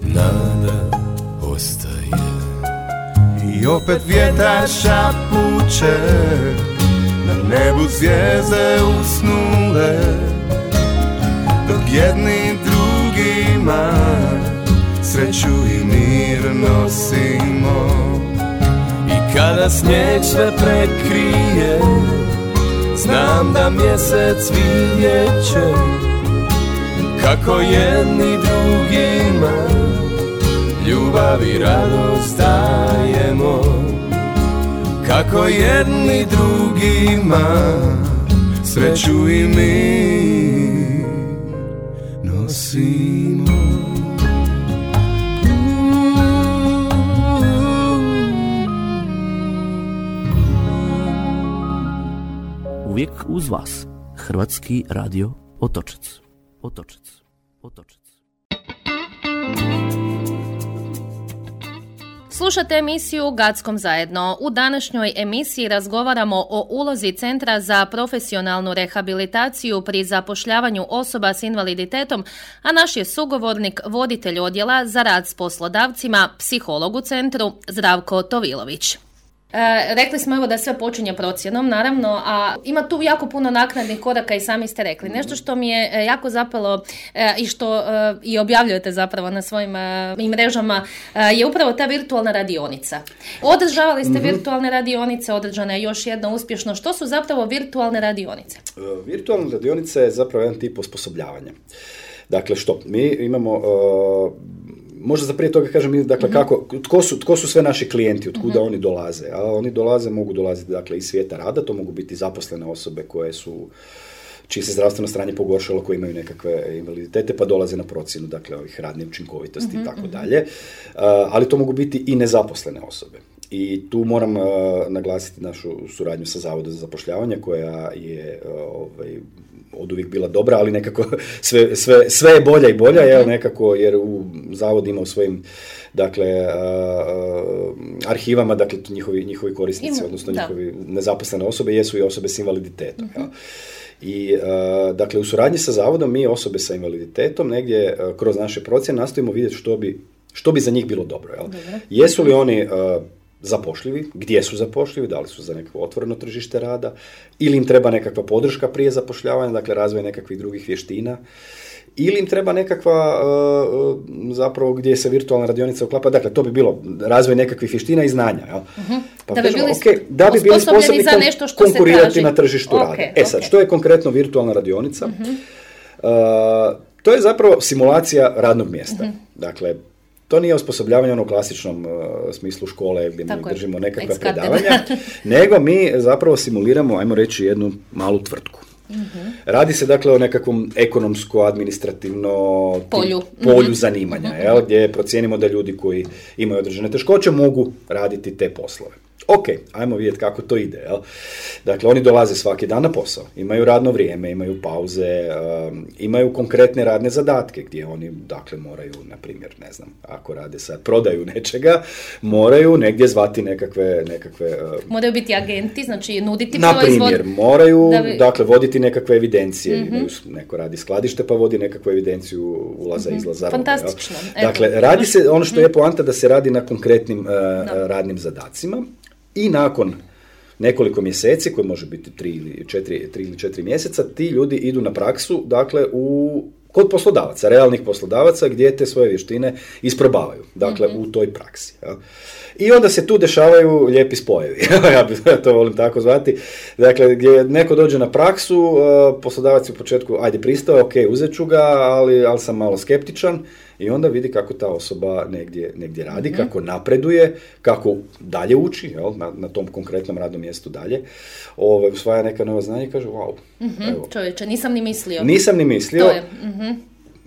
[SPEAKER 6] nada ostaje.
[SPEAKER 5] I opet vjetar šapuće, na nebu zvijezde usnule, dok jedni drugima sreću i mir nosimo.
[SPEAKER 6] I kada snijeg sve prekrije, znam da mjesec vidjet će, kako jedni drugima ljubav i radost dajemo, kako jedni drugima sreću i mir nosimo.
[SPEAKER 7] Uvijek uz vas, Hrvatski radio Otočac. Otočac. Otočac.
[SPEAKER 3] Slušate emisiju Gackom zajedno. U današnjoj emisiji razgovaramo o ulozi Centra za profesionalnu rehabilitaciju pri zapošljavanju osoba s invaliditetom, a naš je sugovornik voditelj odjela za rad s poslodavcima, psiholog u centru, Zdravko Tovilović. Rekli smo evo da sve počinje procjenom, naravno, a ima tu jako puno naknadnih koraka i sami ste rekli. Nešto što mi je jako zapalo i što i objavljujete zapravo na svojim mrežama je upravo ta virtualna radionica. Održavali ste virtualne radionice, održana je još jedna uspješno. Što su zapravo virtualne radionice?
[SPEAKER 4] Virtualna radionica je zapravo jedan tip osposobljavanja. Dakle, što? Mi imamo... Možda za prije toga kažem, dakle, tko su sve naši klijenti, od kuda oni dolaze. A oni mogu dolaziti, dakle, iz svijeta rada, to mogu biti zaposlene osobe čije se zdravstveno stanje pogoršalo, koje imaju nekakve invaliditete, pa dolaze na procjenu, dakle, ovih radne učinkovitosti i tako dalje. Ali to mogu biti i nezaposlene osobe. I tu moram naglasiti našu suradnju sa Zavodom za zapošljavanje, koja je od uvijek bila dobra, ali nekako sve je bolja i bolja, nekako, jer Zavod ima u svojim, dakle, arhivama, dakle, njihovi korisnici, odnosno njihovi nezaposlene osobe jesu i osobe s invaliditetom. I, dakle, u suradnji sa Zavodom mi osobe sa invaliditetom negdje kroz naše procjene nastojimo vidjeti što bi za njih bilo dobro. Jesu li oni zapošljivi, gdje su zapošljivi, da li su za nekako otvoreno tržište rada, ili im treba nekakva podrška prije zapošljavanja, dakle razvoj nekakvih drugih vještina, ili im treba nekakva, zapravo gdje se virtualna radionica uklapa, dakle to bi bilo razvoj nekakvih vještina i znanja. Jel? Pa da bi bili sposobni konkurirati na tržištu rada. Sad, što je konkretno virtualna radionica? To je zapravo simulacija radnog mjesta. Dakle, to nije osposobljavanje ono u klasičnom smislu škole gdje mi držimo nekakva predavanja, nego mi zapravo simuliramo, ajmo reći, jednu malu tvrtku. Radi se dakle o nekakvom ekonomsko-administrativno polju zanimanja, gdje procijenimo da ljudi koji imaju određene teškoće mogu raditi te poslove. Ok, ajmo vidjeti kako to ide. Dakle, oni dolaze svaki dan na posao, imaju radno vrijeme, imaju pauze, imaju konkretne radne zadatke gdje oni, dakle, moraju, na primjer, ne znam, ako rade sad prodaju nečega, moraju negdje zvati nekakve
[SPEAKER 3] moraju biti agenti, znači nuditi
[SPEAKER 4] na
[SPEAKER 3] proizvod.
[SPEAKER 4] Na primjer, moraju, dakle, voditi nekakve evidencije. Imaju, neko radi skladište pa vodi nekakvu evidenciju ulaza, izlaza.
[SPEAKER 3] Fantastično.
[SPEAKER 4] Dakle, radi se, ono što je poanta da se radi na konkretnim radnim zadacima. I nakon nekoliko mjeseci, koji može biti 3 ili 4 mjeseca, ti ljudi idu na praksu, dakle, kod poslodavaca, realnih poslodavaca, gdje te svoje vještine isprobavaju, dakle, u toj praksi. Ja. I onda se tu dešavaju lijepi spojevi, ja to volim tako zvati, dakle, gdje neko dođe na praksu, poslodavac je u početku, ajde pristao, ok, uzet ću ga, ali sam malo skeptičan, i onda vidi kako ta osoba negdje radi, kako napreduje, kako dalje uči, na tom konkretnom radnom mjestu dalje, usvaja neka nova znanja i kaže, wow. Evo.
[SPEAKER 3] Čovječe, nisam ni mislio.
[SPEAKER 4] To je.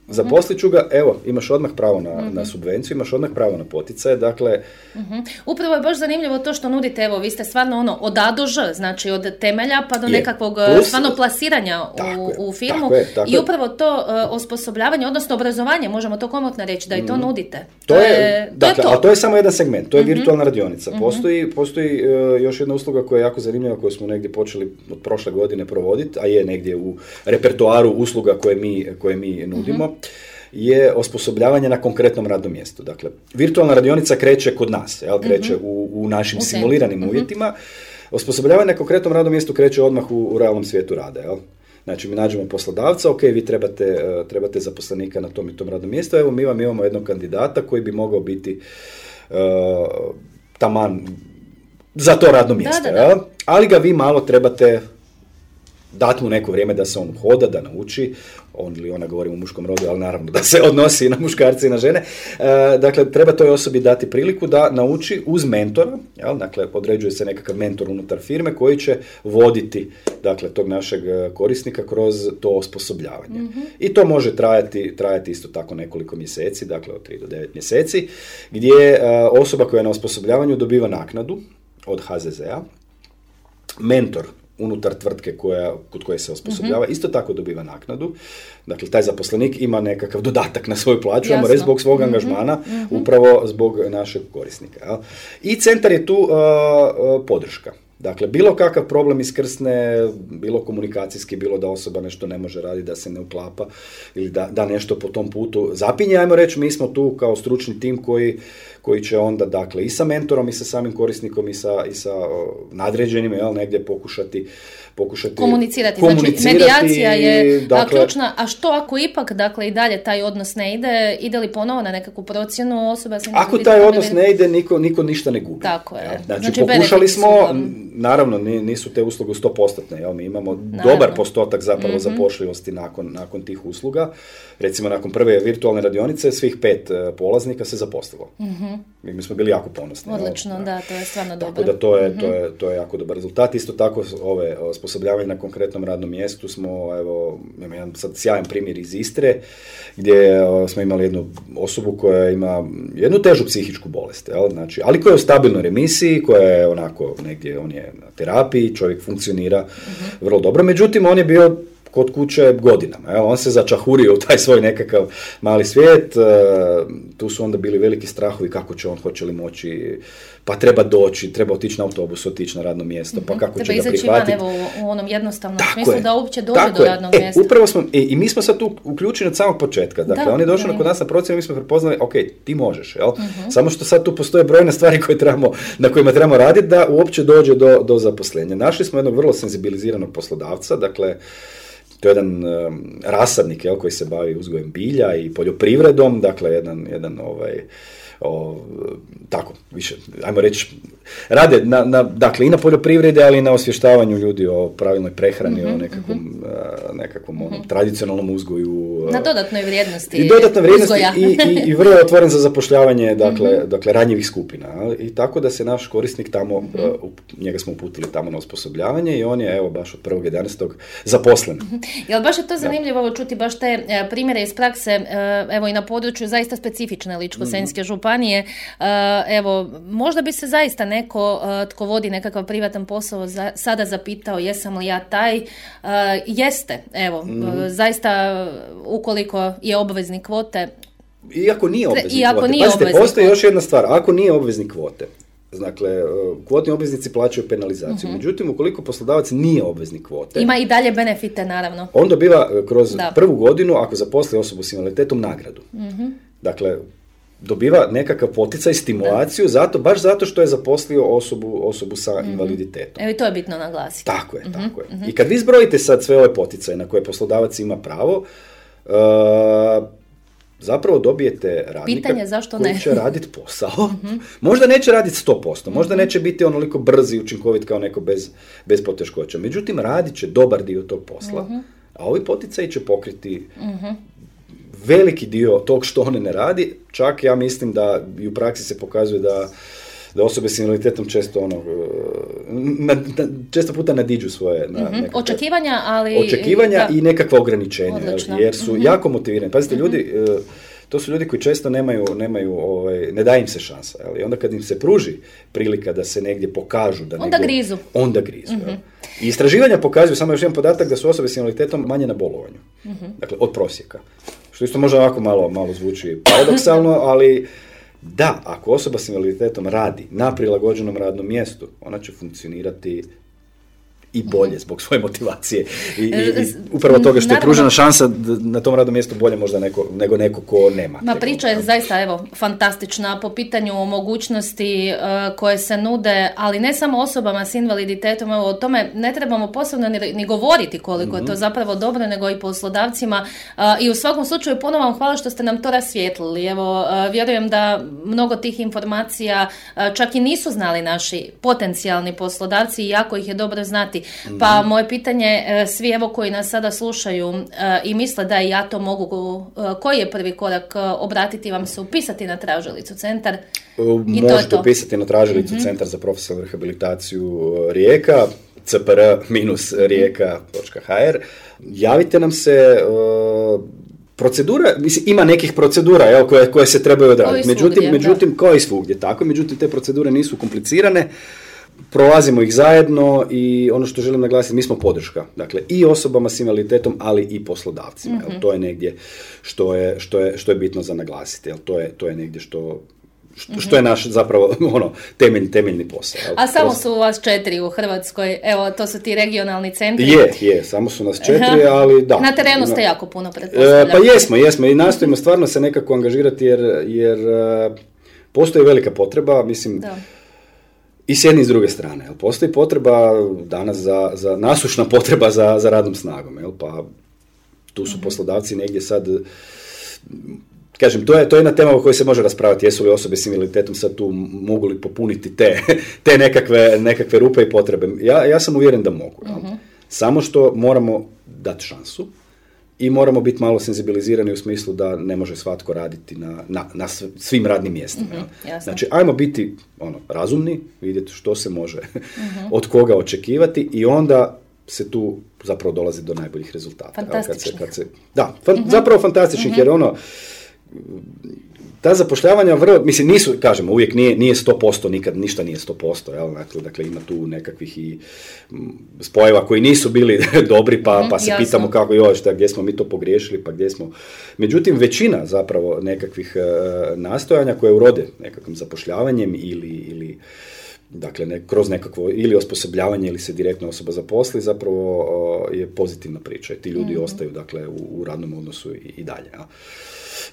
[SPEAKER 4] Zaposlit ću ga, evo, imaš odmah pravo na subvenciju, imaš odmah pravo na poticaje, dakle...
[SPEAKER 3] Upravo je baš zanimljivo to što nudite, evo, vi ste stvarno od A do Ž, znači od temelja pa do nekakvog stvarno plasiranja u firmu i upravo to osposobljavanje, odnosno obrazovanje, možemo to komotno reći, da i to nudite.
[SPEAKER 4] To je to. Ali to je samo jedan segment, to je virtualna radionica. Postoji još jedna usluga koja je jako zanimljiva, koju smo negdje počeli od prošle godine provoditi, a je negdje u repertoaru usluga koje mi nudimo, je osposobljavanje na konkretnom radnom mjestu. Dakle, virtualna radionica kreće kod nas, kreće u našim simuliranim uvjetima. Osposobljavanje na konkretnom radnom mjestu kreće odmah u realnom svijetu rada. Znači, mi nađemo poslodavca, ok, vi trebate zaposlenika na tom i tom radnom mjestu, evo mi vam imamo jednog kandidata koji bi mogao biti taman za to radno mjesto. Ali ga vi malo trebate dati mu neko vrijeme da se on hoda, da nauči, on ili ona, govorim u muškom rodu, ali naravno da se odnosi i na muškarce i na žene. Dakle, treba toj osobi dati priliku da nauči uz mentora, dakle, određuje se nekakav mentor unutar firme koji će voditi, dakle, tog našeg korisnika kroz to osposobljavanje. I to može trajati isto tako nekoliko mjeseci, dakle, od 3 do 9 mjeseci, gdje osoba koja je na osposobljavanju dobiva naknadu od HZZ-a, mentor unutar tvrtke kod koje se osposobljava, isto tako dobiva naknadu. Dakle, taj zaposlenik ima nekakav dodatak na svoju plaću, ajmo reći, zbog svog angažmana, upravo zbog našeg korisnika. I centar je tu podrška. Dakle, bilo kakav problem iskrsne, bilo komunikacijski, bilo da osoba nešto ne može raditi, da se ne uklapa ili da nešto po tom putu zapinje, ajmo reći, mi smo tu kao stručni tim koji će onda, dakle, i sa mentorom i sa samim korisnikom i sa nadređenim, negdje pokušati
[SPEAKER 3] komunicirati. Znači, medijacija je ključna, a što ako ipak, dakle, i dalje taj odnos ne ide li ponovo na nekakvu procjenu osoba?
[SPEAKER 4] Ako taj odnos ne ide, niko ništa ne gubi.
[SPEAKER 3] Tako je.
[SPEAKER 4] Znači pokušali smo, naravno, nisu te usluge 100%, mi imamo dobar postotak zapravo zapošljivosti nakon tih usluga. Recimo, nakon prve virtualne radionice, svih 5 polaznika se zaposlilo. Mi smo bili jako ponosni.
[SPEAKER 3] Odlično, da, to je stvarno dobro.
[SPEAKER 4] Tako da to je jako dobar rezultat. Isto tako, osposobljavanje na konkretnom radnom mjestu smo, evo, imamo jedan sad sjajan primjer iz Istre, gdje smo imali jednu osobu koja ima jednu težu psihičku bolest, znači, ali koja je u stabilnoj remisiji, koja je onako negdje, on je na terapiji, čovjek funkcionira vrlo dobro, međutim, on je bio kod kuće godinama. On se začahurio u taj svoj nekakav mali svijet, tu su onda bili veliki strahovi kako će on, hoće li moći, pa treba doći, treba otići na autobus, otići na radno mjesto, pa kako će ga prihvatiti. Treba
[SPEAKER 3] izaći van, evo, u onom jednostavnom smislu da uopće dođe do radnog mjesta.
[SPEAKER 4] Upravo smo, i mi smo sad tu uključeni od samog početka. Dakle, on je došao kod nas na procjenu, mi smo prepoznali, ok, ti možeš, jel? Samo što sad tu postoje brojne stvari na kojima trebamo raditi da uopće dođe do zaposlenja. Našli smo jednog vrlo senzibiliziranog poslodavca, dakle, to je jedan rasadnik koji se bavi uzgojem bilja i poljoprivredom, dakle jedan tako, više, ajmo reći, rade dakle i na poljoprivredi, ali i na osvještavanju ljudi o pravilnoj prehrani, o nekakvom tradicionalnom uzgoju.
[SPEAKER 3] Na dodatnoj vrijednosti.
[SPEAKER 4] I dodatna vrijednosti i vrlo je otvoren za zapošljavanje, dakle ranjivih skupina. I tako da se naš korisnik tamo, njega smo uputili tamo na osposobljavanje i on je, evo, baš od 1.11. zaposlen.
[SPEAKER 3] Jel baš je to zanimljivo čuti baš te primjere iz prakse, evo i na području zaista specifične Ličko-senjske županije. Evo, možda bi se zaista neko tko vodi nekakav privatan posao sada zapitao jesam li ja taj. Jeste, evo, zaista ukoliko je obveznik kvote.
[SPEAKER 4] Iako nije obveznik kvote. Pazite, postoji još jedna stvar. Ako nije obveznik kvote, dakle, kvotni obveznici plaćaju penalizaciju. Međutim, ukoliko poslodavac nije obveznik kvote,
[SPEAKER 3] ima i dalje benefite, naravno.
[SPEAKER 4] On dobiva kroz prvu godinu, ako zaposli osobu s invaliditetom, nagradu. Dakle, dobiva nekakav poticaj, stimulaciju, baš zato što je zaposlio osobu sa invaliditetom.
[SPEAKER 3] Evo i to je bitno naglasiti.
[SPEAKER 4] Tako je. I kad vi zbrojite sad sve ove poticaje na koje poslodavac ima pravo, zapravo dobijete radnika koji će raditi posao. Možda neće raditi 100%, možda neće biti onoliko brz i učinkovit kao neko bez poteškoća. Međutim, radit će dobar dio tog posla, a ovi poticaji će pokriti veliki dio tog što one ne radi. Čak ja mislim da i u praksi se pokazuje da osobe s invaliditetom često puta nadiđu svoje
[SPEAKER 3] očekivanja,
[SPEAKER 4] i nekakva ograničenja, jer su jako motivirani. Pazite, ljudi, to su ljudi koji često ne daje im se šansa. I onda kad im se pruži prilika da se negdje pokažu, onda grizu. I istraživanja pokazuju, samo još jedan podatak, da su osobe s invaliditetom manje na bolovanju. Dakle, od prosjeka. Što isto možda ovako malo zvuči paradoksalno, ali da, ako osoba s invaliditetom radi na prilagođenom radnom mjestu, ona će funkcionirati i bolje zbog svoje motivacije i upravo toga što je pružena šansa na tom radnom mjestu bolje možda nego neko ko nema.
[SPEAKER 3] Priča je zaista fantastična po pitanju mogućnosti koje se nude, ali ne samo osobama s invaliditetom, o tome ne trebamo posebno ni govoriti koliko je to zapravo dobro, nego i poslodavcima i u svakom slučaju ponovno vam hvala što ste nam to rasvijetlili. Evo, vjerujem da mnogo tih informacija čak i nisu znali naši potencijalni poslodavci i jako ih je dobro znati. Pa moje pitanje, svi evo koji nas sada slušaju i misle da ja to mogu, koji je prvi korak? Obratiti vam se, upisati na tražilicu centar?
[SPEAKER 4] Možete upisati na tražilicu Centar za profesionalnu rehabilitaciju Rijeka, cpr-rijeka.hr. Javite nam se. Procedura, mislim, ima nekih procedura koje se trebaju odraditi. Međutim, kao i svugdje, tako. Međutim, te procedure nisu komplicirane. Prolazimo ih zajedno i ono što želim naglasiti, mi smo podrška. Dakle, i osobama s invaliditetom, ali i poslodavcima. To je negdje što je bitno za naglasiti. To je negdje što je naš zapravo temeljni posao.
[SPEAKER 3] A samo su vas 4 u Hrvatskoj, evo, to su ti regionalni centri.
[SPEAKER 4] Je, samo su nas 4, ali da.
[SPEAKER 3] Na terenu ste jako puno, pretpostavljam.
[SPEAKER 4] Pa jesmo i nastojimo stvarno se nekako angažirati jer postoji velika potreba, mislim, i s jedne i s druge strane. Postoji potreba danas za nasušna potreba za radnom snagom. Pa tu su poslodavci negdje sad, kažem, to je jedna tema o kojoj se može raspravati. Jesu li osobe s invaliditetom sad tu, mogu li popuniti te nekakve rupe i potrebe? Ja sam uvjeren da mogu. Samo što moramo dati šansu i moramo biti malo senzibilizirani u smislu da ne može svatko raditi na svim radnim mjestima. Znači, ajmo biti razumni, vidjeti što se može od koga očekivati i onda se tu zapravo dolazi do najboljih rezultata.
[SPEAKER 3] Fantastičnih.
[SPEAKER 4] Zapravo fantastičnih, jer ta zapošljavanja nisu, kažemo, uvijek nije 100%, nikad ništa nije 100%, dakle ima tu nekakvih i spojeva koji nisu bili dobri, pa se pitamo kako gdje smo mi to pogriješili, pa gdje smo. Međutim, većina zapravo nekakvih nastojanja koje urode nekakvim zapošljavanjem ili dakle, kroz nekakvo ili osposobljavanje ili se direktno osoba zaposli, zapravo je pozitivna priča i ti ljudi ostaju, dakle, u radnom odnosu i dalje.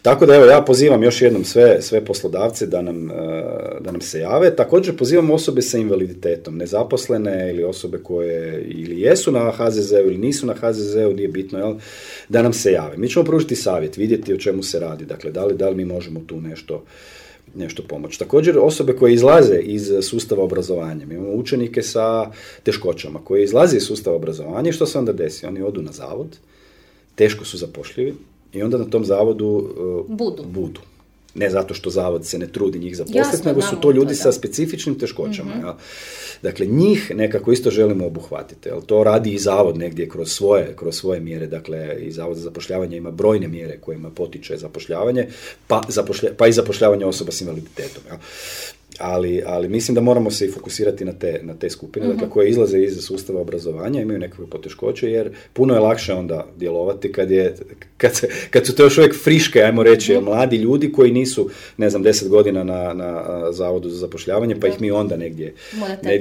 [SPEAKER 4] Tako da evo, ja pozivam još jednom sve poslodavce da nam se jave. Također pozivam osobe sa invaliditetom, nezaposlene ili osobe koje ili jesu na HZZ-u ili nisu na HZZ-u, nije bitno, jel, da nam se jave. Mi ćemo pružiti savjet, vidjeti o čemu se radi, dakle, da li mi možemo tu nešto pomoći. Također osobe koje izlaze iz sustava obrazovanja. Mi imamo učenike sa teškoćama koji izlaze iz sustava obrazovanja i što se onda desi? Oni odu na zavod, teško su zapošljivi i onda na tom zavodu budu. Ne zato što zavod se ne trudi njih zaposliti, nego su to ljudi sa specifičnim teškoćama. Mm-hmm. Dakle, njih nekako isto želimo obuhvatiti. To radi i zavod negdje kroz svoje mjere. Dakle, i zavod za zapošljavanje ima brojne mjere kojima potiče zapošljavanje, pa i zapošljavanje osoba s invaliditetom. Ali mislim da moramo se i fokusirati na te skupine, dakle, koje izlaze iz sustava obrazovanja, imaju nekakve poteškoće, jer puno je lakše onda djelovati kad su to još uvijek friške, ajmo reći, mladi ljudi koji nisu, 10 godina na Zavodu za zapošljavanje, pa ih mi onda negdje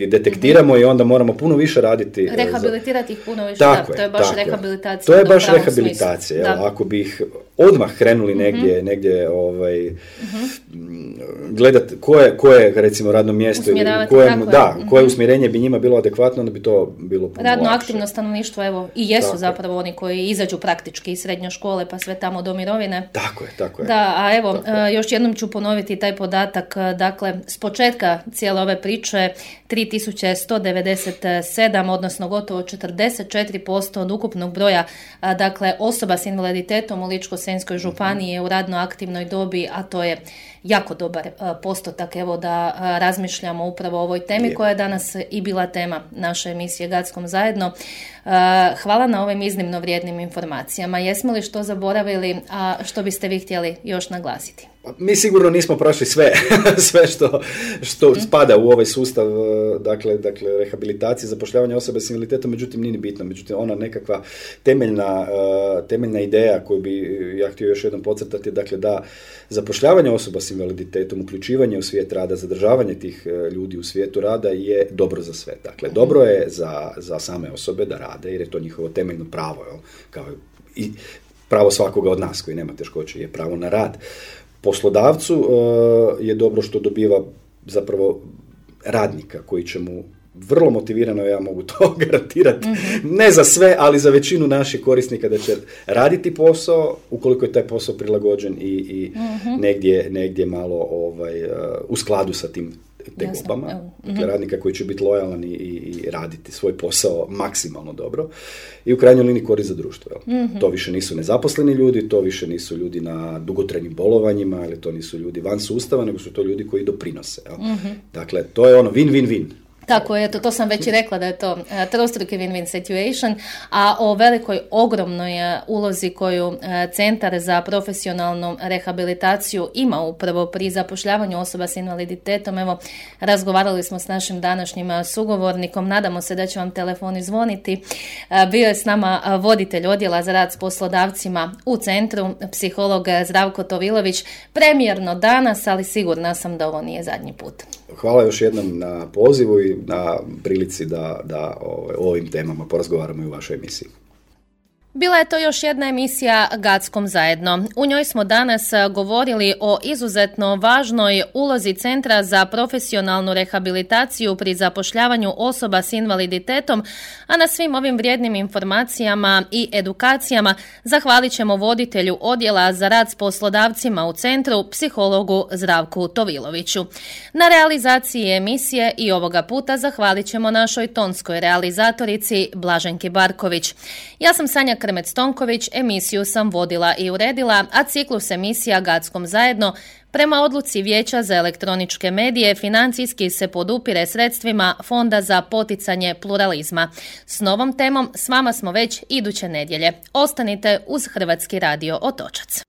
[SPEAKER 4] detektiramo i onda moramo puno više raditi.
[SPEAKER 3] Rehabilitirati ih puno više, to je baš rehabilitacija.
[SPEAKER 4] To je baš rehabilitacija. Ako bi ih odmah krenuli negdje gledati koje recimo radno mjesto ili koje usmjerenje bi njima bilo adekvatno, onda bi to bilo puno
[SPEAKER 3] radno
[SPEAKER 4] lakše.
[SPEAKER 3] Aktivno stanovništvo, evo, i jesu zapravo oni koji izađu praktički iz srednje škole pa sve tamo do mirovine.
[SPEAKER 4] Tako je.
[SPEAKER 3] Da, a evo, još jednom ću ponoviti taj podatak, dakle, s početka cijele ove priče 3197, odnosno gotovo 44% od ukupnog broja, dakle, osoba s invaliditetom u Ličko-senjskoj županiji je u radno aktivnoj dobi, a to je jako dobar postotak, evo, da razmišljamo upravo o ovoj temi koja je danas i bila tema naše emisije Gackom zajedno. Hvala na ovim iznimno vrijednim informacijama. Jesmo li što zaboravili, a što biste vi htjeli još naglasiti?
[SPEAKER 4] Mi sigurno nismo prošli sve što spada u ovaj sustav, dakle rehabilitacije, zapošljavanja osobe s invaliditetom, međutim nije bitno. Međutim, ona nekakva temeljna ideja koju bi ja htio još jednom podcrtati, dakle da zapošljavanje osoba s invaliditetom, uključivanje u svijet rada, zadržavanje tih ljudi u svijetu rada je dobro za sve. Dakle, dobro je za same osobe da rade, jer je to njihovo temeljno pravo, kao i pravo svakoga od nas koji nema teškoće, je pravo na rad. Poslodavcu je dobro što dobiva zapravo radnika koji će mu vrlo motivirano, ja mogu to garantirati, ne za sve, ali za većinu naših korisnika, da će raditi posao ukoliko je taj posao prilagođen i negdje malo u skladu sa tim tegobama. Dakle, radnika koji će biti lojalan i raditi svoj posao maksimalno dobro i u krajnjoj liniji korist za društvo. To više nisu nezaposleni ljudi, to više nisu ljudi na dugotrajnim bolovanjima, ili to nisu ljudi van sustava, nego su to ljudi koji doprinose. Dakle, to je ono win-win-win.
[SPEAKER 3] Tako je, to sam već i rekla da je to trostruki win-win situation, a o velikoj, ogromnoj ulozi koju Centar za profesionalnu rehabilitaciju ima upravo pri zapošljavanju osoba s invaliditetom. Evo, razgovarali smo s našim današnjim sugovornikom, nadamo se da će vam telefoni zvoniti. Bio je s nama voditelj odjela za rad s poslodavcima u centru, psiholog Zdravko Tovilović. Premijerno danas, ali sigurna sam da ovo nije zadnji put.
[SPEAKER 4] Hvala još jednom na pozivu i na prilici da o ovim temama porazgovaramo i u vašoj emisiji.
[SPEAKER 3] Bila je to još jedna emisija Gackom zajedno. U njoj smo danas govorili o izuzetno važnoj ulozi Centra za profesionalnu rehabilitaciju pri zapošljavanju osoba s invaliditetom, a na svim ovim vrijednim informacijama i edukacijama zahvalit ćemo voditelju odjela za rad s poslodavcima u centru, psihologu Zdravku Toviloviću. Na realizaciji emisije i ovoga puta zahvalit ćemo našoj tonskoj realizatorici Blaženki Barković. Ja sam Sanja Krmec-Tonković, emisiju sam vodila i uredila, a ciklus emisija Gackom zajedno prema odluci Vijeća za elektroničke medije financijski se podupire sredstvima Fonda za poticanje pluralizma. S novom temom s vama smo već iduće nedjelje. Ostanite uz Hrvatski radio Otočac.